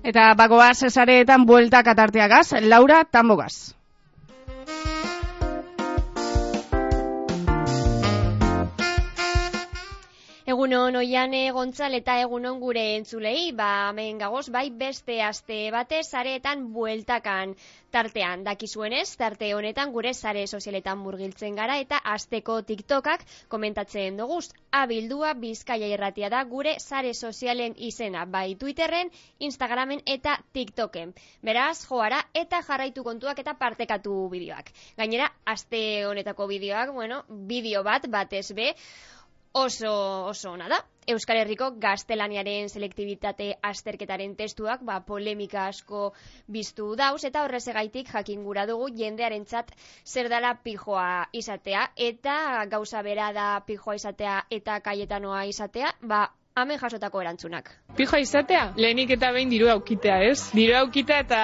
Eta bagoaz esareetan bueltak atarteagaz, Laura Tambogaz. Egunon Oiane Gontzal eta egunon gure entzulei, hemen gagoz, bai beste aste batez sareetan bueltakan tartean. Dakizuenez, tarte honetan gure sare sozialetan murgiltzen gara eta asteko TikTokak komentatzen doguz. Abildua Bizkaia Irratia da gure sare sozialen izena, bai Twitterren, Instagramen eta TikToken. Beraz, joara eta jarraitu kontuak eta partekatu bideoak. Gainera, aste honetako bideoak, bideo batez be, oso ona da. Euskal Herriko gaztelaniaren selektibitate azterketaren testuak polemika asko biztu dauz eta horrezegaitik jakin gura dugu jendearentzat zer dela pijoa izatea eta gauza bera da pijoa izatea eta Kayetanoa izatea, hemen jasotako erantzunak. Pijoa izatea, lehenik eta behin dirua aukitea, ez? Dirua aukitea eta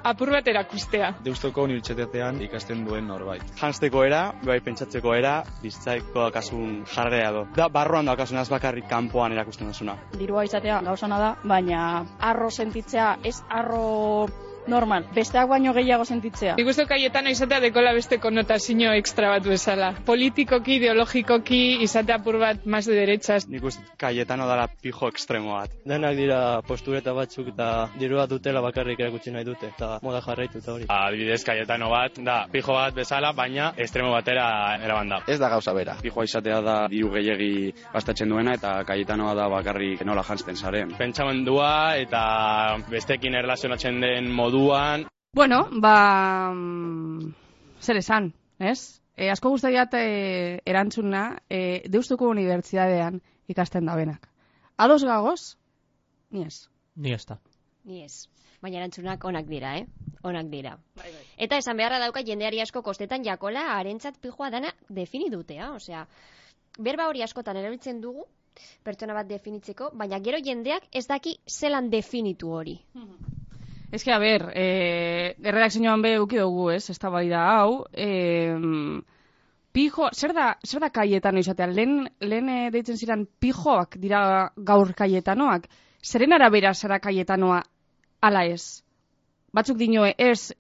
apur bat erakustea. Deustuko unibertsitatean ikasten duen norbait. Janzteko era, bai pentsatzeko era, biztzaiko akasun jarrea do. Da, barruan da akasun az bakarrik kanpoan erakusten duzuna. Dirua izatea gauzana da, baina arro sentitzea, ez arro normal, besteak baino gehiago sentitzea. Nik uste Kayetano izatea dekola beste konnotazio extra bat bezala. Politikoki, ideologikoki, izatea apur bat más de derechas. Nik uste Kayetano dala pijo extremo bat. Denak dira postureta batzuk eta dirua dutela bakarrik erakutsi nahi dute, eta moda jarraitu eta hori. Adibidez, Kayetano bat, da pijo bat bezala, baina estremo batera eraban da. Ez da gauza bera. Pijoa izatea da diru gehiegi gastatzen duena eta Kayetanoa da bakarrik nola janzten zaren. Pentsamendua eta bestekin erlazionatzen den moduan. Bueno, zer esan, ez? Asko gustaiat erantzuna Deustuko Unibertsitatean ikasten da benak. Ados gagoz? Ni ez. Ni ez da. Ni ez. Baina erantzunak onak dira, Onak dira. Bai. Eta esan beharra dauka jendeari asko kostetan jakola harentzat pijoa dana definidutea, osea, berba hori askotan erabiltzen dugu pertsona bat definitzeko, baina gero jendeak ez daki zelan definitu hori. Ez que, erredakzioan be uki dugu, ez da bai da hau, pijo, zer da Kayetano izatea? Lehen deitzen ziren pijoak dira gaur Kayetanoak, zeren arabera zara Kayetanoa ala ez? Batzuk dinoe ez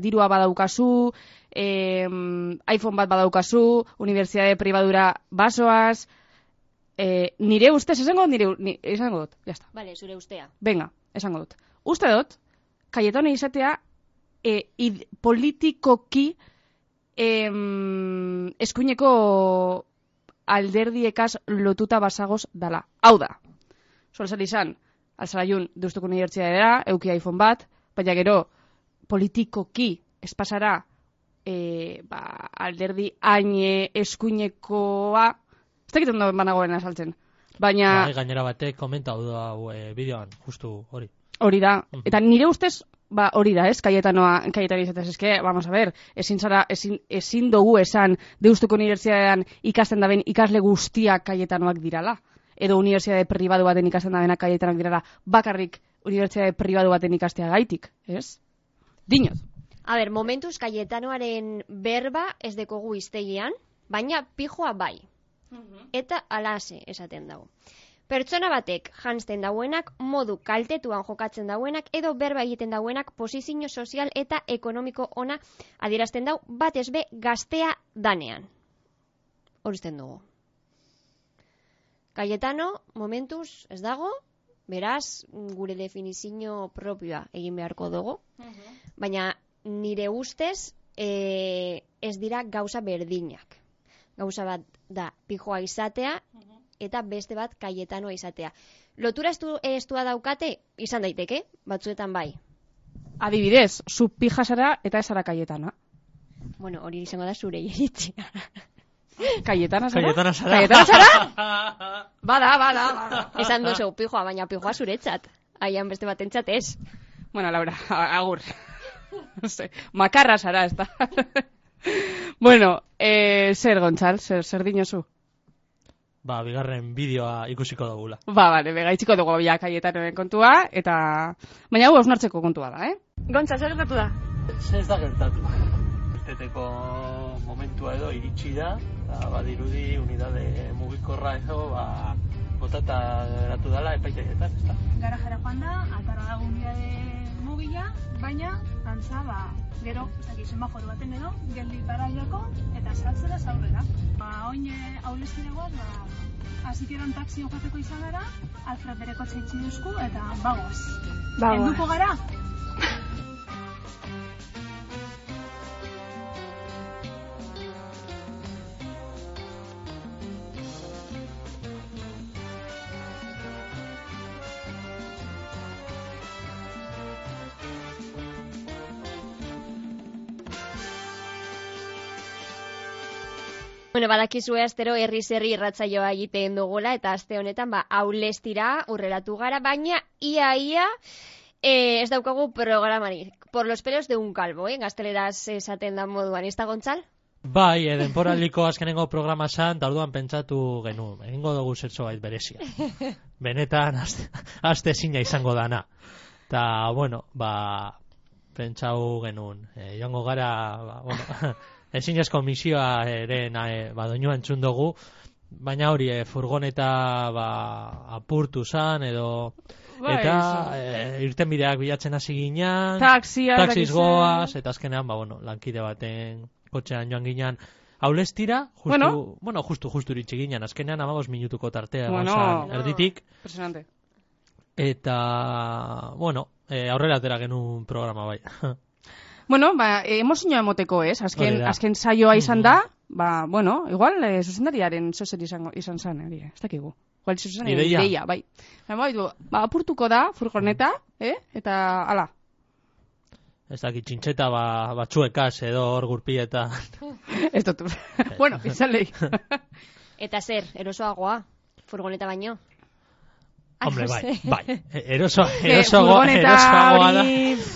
dirua badaukazu, iPhone bat badaukazu, unibertsitate pribadura basoaz, nire ustez, esango dut, jazta. Vale, zure ustea. Venga, esango dut. Uste dut, Kayetano izatea politikoki eskuineko alderdiekaz lotuta basagoz dala. Hau da, solzal izan, alzaraiun Deustuko Unibertsitatea, euki iPhone bat, baina gero politikoki espasara alderdi haine eskuinekoa, ez dakit ondo banagoen azaltzen. Baina... Gainera batek komentau da bideoan, justu hori. Hori da, eta nire ustez, hori da, ez, Kayetano izatez, eske, vamos a ver, ezin dugu esan Deustuko Unibertsitatean ikasten daben ikasle guztiak Kayetanoak dirala, edo unibertsitate pribatu baten ikasten dabenak Kayetanoak dirala, bakarrik unibertsitate pribatu baten ikastea gaitik, ez? Dinot. A ber, momentuz Kayetanoaren berba ez dekogu iztegian, baina pijoa bai. Eta alase esaten dago. Pertsona batek janzten dauenak, modu kaltetuan jokatzen dauenak, edo berba egiten dauenak posizio sozial eta ekonomiko ona adierazten dau, batez be gaztea danean. Horuzten dugu. Kayetano, momentuz, ez dago, beraz, gure definizio propioa egin beharko dugu, baina nire ustez ez dira gauza berdinak. Gauza bat da pijoa izatea, eta beste bat Kayetanoa izatea. Lotura estua daukate, izan daiteke, batzuetan bai. Adibidez, zu pija zara eta ez zara Kayetana. Bueno, hori izango da zure iritzia. Kayetana zara? Kayetana zara? Kayetana zara? Bada. Esan duzu pijoa, baina pijoa zuretzat. Aian beste batentzat ez. Bueno, Laura, agur. Makarra zara, ez da. Bueno, zer Gontzal, zer dinozu? Bigarren bideoa ikusiko dugula. Bale, gaitxiko dugu ja Kayetanoen kontua, eta... Baina hau hausnartzeko kontua da, Gontzal, zer gertatu da? Ez da gertatu. Irteteko momentua edo iritsi da, eta badirudi unidade mugikorra edo, botata geratu dela epaiteketan, ezta? Garajera joan da, atarra da gunbiade mobila, baina, antza, gero, semaforo baten edo, geldi paraiako, eta saltzera zaurrera. Oin aulestiragoaz, hasikeran taxi joteko izan gara, Alfred bere kotxe itxi duzku, eta bagoaz. Helduko gara? Bueno, badakizue astero herri irratsaioa egiten dugula, eta aste honetan aulestira urreratu gara, baina ia ez daukagu programari. Por los pelos de un calvo, gazteleraz esaten da moduan, ez da, Gontzal? Bai, denporaliko azkenengo programa zan, eta orduan pentsatu genuen, egingo dugu zertxo bait berezia. Benetan, aste ezina izango dana. Eta, bueno, pentsau genuen, joango gara, ezinezko misioa ere doinua entzun dugu, baina hori furgoneta apurtu zan edo eta irtenbideak bilatzen hasi ginean, taxiz goaz, eta azkenean lankide baten kotxean joan ginean aulestira, justu iritsi ginean, azkenean 15 minutuko tartea zan erditik. Impresionante. Eta, aurrera atera genuen programa bai. Bueno, emozioa emoteko, ez? Azken saioa izan da, igual, zuzendariaren zozer izan zen, ez dakigu. Igual, zuzendariaren ideia, bai. Apurtuko da, furgoneta, eta, ala. Ez dakit, txintxeta batzuekaz edo hor gurpieta. Ez dut, izan lehi. Eta zer, erosoagoa, furgoneta baino? Hombre, bai.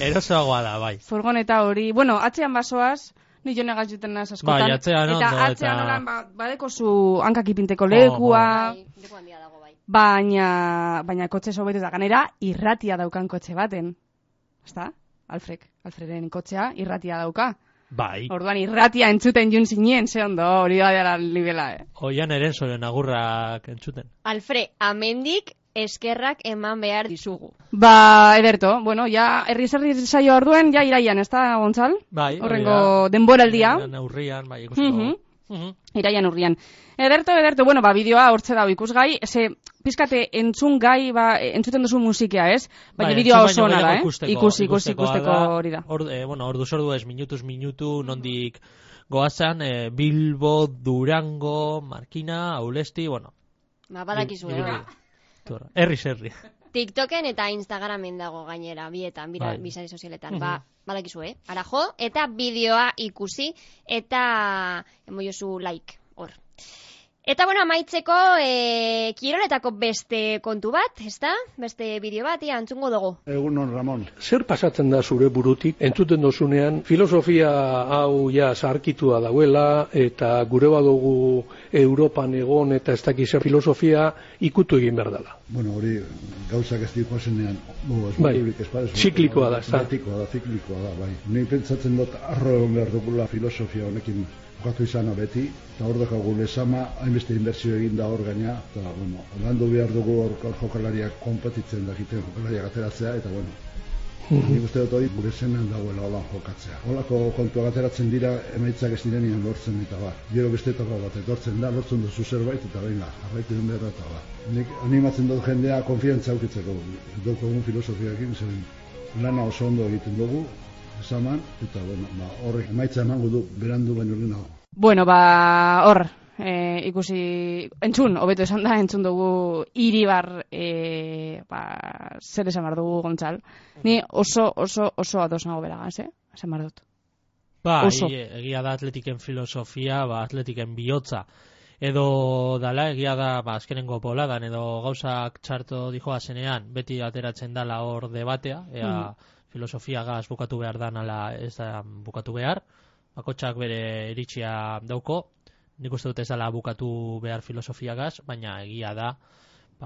Erosoagoa da, bai. Furgoneta hori, atzean basoaz, ni jone gazuten naz askotan. Bai, atzean ondo. Eta atzean holan, badeko zu hankakipinteko lekua. Leku handia dago, bai. Baina kotxe sobetu da, ganera, irratia daukan kotxe baten. Ezta? Alfreden kotxea irratia dauka. Bai. Orduan irratia entzuten jun zinen, ze ondo, hori da dela nivela, Oian erenzoren agurrak entzuten. Alfred, amendik eskerrak eman behar dizugu. Ederto, herri saio orduen, iraian, ez da, Gontzal? Bai. Horrengo denboraldia. Urrian, bai, ikusiko. Iraian urrian. Ederto, bideoa hortze dago ikusgai, ze pizkate entzun gai, entzuten duzu musikea, ez? Baina bideoa oso ona da, ikusteko hori da. Ordu ez, minutuz minutu, nondik goazan, Bilbo, Durango, Markina, Aulesti, badakizu, herri. TikToken eta Instagramen dago gainera, bietan, bizari sozialetan, badakizu, arajo, eta bideoa ikusi, eta emoiozu like, hor. Eta amaitzeko kiroletako beste kontu bat, ezta? Beste bideo bat, entzungo dugu. Egunon, Ramon. Zer pasatzen da zure burutik, entzuten dozunean, filosofia hau zaharkitua dauela, eta gure badugu Europan egon, eta ez dakiz filosofia ikutu egin behar dela. Hori gauzak ez diko zenean, ziklikoa da, ziklikoa da, bai. Ni pentsatzen dut arro egon behar dugula filosofia honekin jokatu izana beti, eta hor dakagu lezama, hainbeste inbertsio egin da hor gaina, eta, landu behar dugu hor jokalariak konpetitzen dakiten jokalariak ateratzea, eta, nik uste dut hori gure zenean dagoela holan jokatzea. Holako kontua ateratzen dira, emaitzak ez direnean lortzen eta gero beste etapa bat etortzen da, lortzen duzu zerbait, eta jarraitu den behar eta Nik animatzen dut jendea konfiantza aukitzeko, dukogun filosofiakin, zen lana oso ondo egiten dugu, esaman, eta horrek emaitza emango du berandu baino lehenago. Hor, ikusi, hobeto esan da, entzun dugu Iribar, zer esan behar dugu, Gontzal. Ni oso ados nago beragaz, esan behar dut. Egia da atletiken filosofia, atletiken bihotza. Edo dala, egia da, azkenengo poladan, edo gauzak txarto dijoa zenean, beti ateratzen dala hor debatea, filosofia gaz bukatu behar dan ala ez da bukatu behar, bakotxak bere iritsia dauko, nik uste dut ez dala bukatu behar filosofia gaz, baina egia da,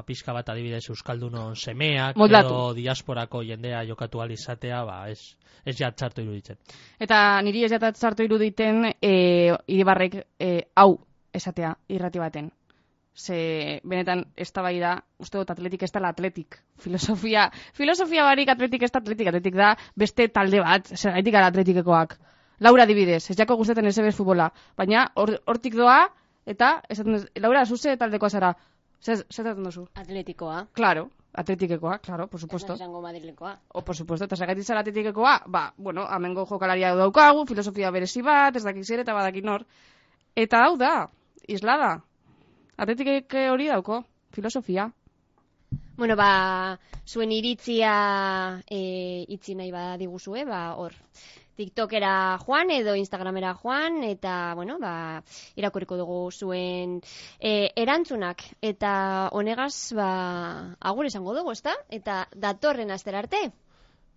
pizka bat adibidez euskaldunon semeak, edo diasporako jendea jokatu alizatea, ez txarto iruditzen. Eta niri ez txarto iruditen Iribarrek hau esatea irrati baten. Ze, benetan, eztabaida, uste dut atletik ez dela atletik. Filosofia barik atletik ez da atletik da beste talde bat, zergaitik gara atletikekoak. Laura adibidez, ez jako gustatzen ez futbola, baina hortik doa, eta, Laura, zuze taldekoa zara, zertatzen duzu? Atletikoa. Claro, atletikekoa, claro, por supuesto. Ez esango madrilekoa. Por supuesto, eta zergaitik zara atletikekoa, bueno, amengo jokalaria daukagu, filosofia berezi bat, ez dakik zer eta badaki nor. Eta hau da, islada. Atletik hori dauko, filosofia. Bueno, zuen iritzia itzi nahi badiguzue, hor. TikTokera joan edo Instagramera joan, eta, bueno, irakurriko dugu zuen erantzunak. Eta honegaz, agur esango dugu, ezta? Eta datorren astera arte.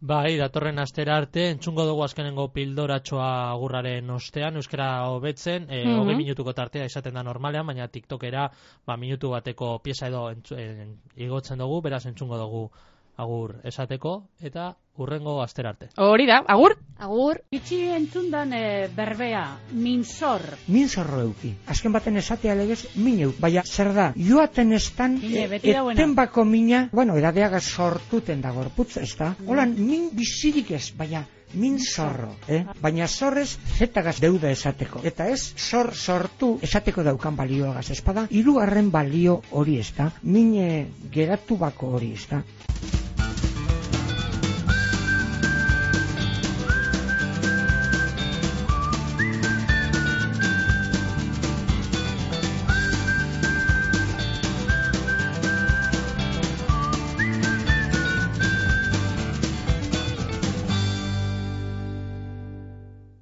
Bai, datorren astera arte, entzungo dugu azkenengo pildoratxoa agurraren ostean, euskara hobetzen, 20 minutuko tartea izaten da normalean, baina TikTokera minutu bateko pieza edo igotzen dugu, beraz entzungo dugu agur esateko, eta hurrengo astera arte. Hori da, agur? Agur. Itxi entzundan berbea, minzor. Minzorro euki. Azken baten esatea legez, min euk. Baina zer da, joaten estan, eten bako mina, edadeagaz sortuten da gorputz, ez da? Holan, min bizirik ez, baina min zorro, baina zorrez zetagaz deuda esateko. Eta ez, sortu esateko daukan balioagaz, espada, hirugarren balio hori ez da, min geratu bako hori ez da.